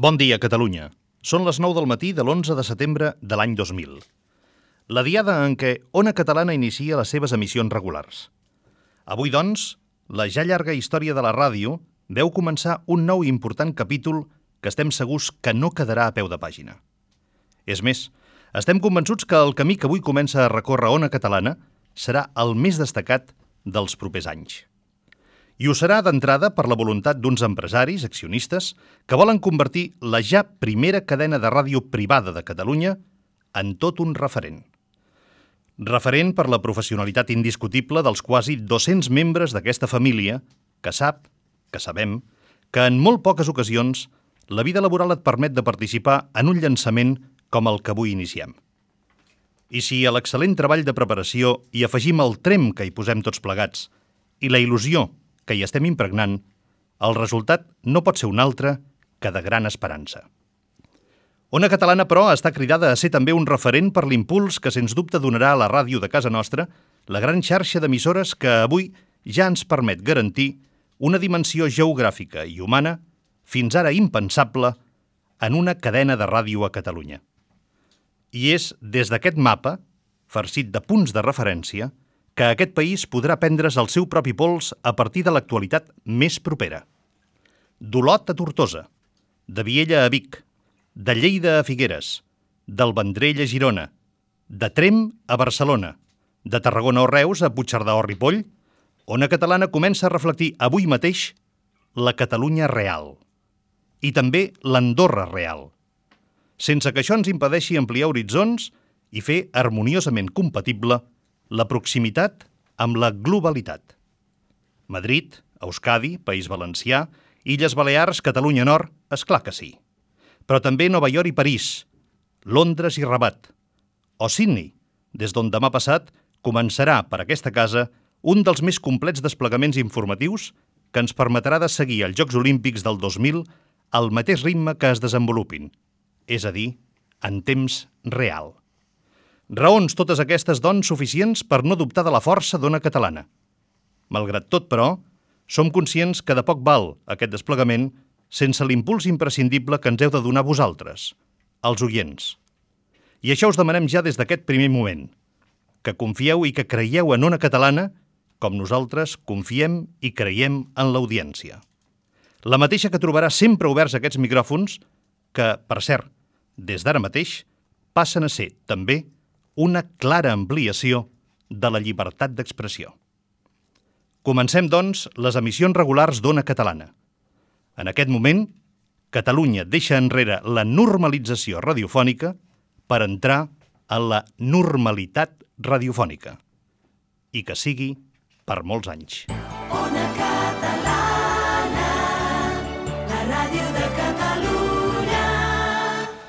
Bon dia, Catalunya. Són les 9 del matí de l'11 de setembre de l'any 2000. La diada en què Ona Catalana inicia les seves emissions regulars. Avui, doncs, la ja llarga història de la ràdio veu començar un nou i important capítol que estem segurs que no quedarà a peu de pàgina. És més, estem convençuts que el camí que avui comença a recórrer Ona Catalana serà el més destacat dels propers anys. I ho serà d'entrada per la voluntat d'uns empresaris, accionistes, que volen convertir la ja primera cadena de ràdio privada de Catalunya en tot un referent. Referent per la professionalitat indiscutible dels quasi 200 membres d'aquesta família que sabem, que en molt poques ocasions la vida laboral et permet de participar en un llançament com el que avui iniciem. I si a l'excel·lent treball de preparació hi afegim el trem que hi posem tots plegats i la il·lusió que hi estem impregnant, el resultat no pot ser un altre que de gran esperança. Ona Catalana, però, està cridada a ser també un referent per l'impuls que sens dubte donarà a la ràdio de casa nostra la gran xarxa d'emissores que avui ja ens permet garantir una dimensió geogràfica i humana fins ara impensable en una cadena de ràdio a Catalunya. I és des d'aquest mapa, farcit de punts de referència, que aquest país podrà prendre's el seu propi pols a partir de l'actualitat més propera. D'Olot a Tortosa, de Viella a Vic, de Lleida a Figueres, del Vendrell a Girona, de Tremp a Barcelona, de Tarragona o Reus a Puigcerdà o Ripoll, Ona Catalana comença a reflectir avui mateix la Catalunya real i també l'Andorra real, sense que això ens impedeixi ampliar horitzons i fer harmoniosament compatible la proximitat amb la globalitat. Madrid, Euskadi, País Valencià, Illes Balears, Catalunya Nord, esclar que sí. Però també Nova York i París, Londres i Rabat, o Sydney, des d'on demà passat començarà per aquesta casa un dels més complets desplegaments informatius que ens permetrà de seguir els Jocs Olímpics del 2000 al mateix ritme que es desenvolupin, és a dir, en temps real. Raons totes aquestes, doncs, suficients per no dubtar de la força d'Ona Catalana. Malgrat tot, però, som conscients que de poc val aquest desplegament sense l'impuls imprescindible que ens heu de donar vosaltres, els oients. I això us demanem ja des d'aquest primer moment, que confieu i que creieu en Ona Catalana com nosaltres confiem i creiem en l'audiència. La mateixa que trobarà sempre oberts aquests micròfons que, per cert, des d'ara mateix, passen a ser, també, una clara ampliació de la llibertat d'expressió. Comencem, doncs, les emissions regulars d'Ona Catalana. En aquest moment, Catalunya deixa enrere la normalització radiofònica per entrar en la normalitat radiofònica. I que sigui per molts anys.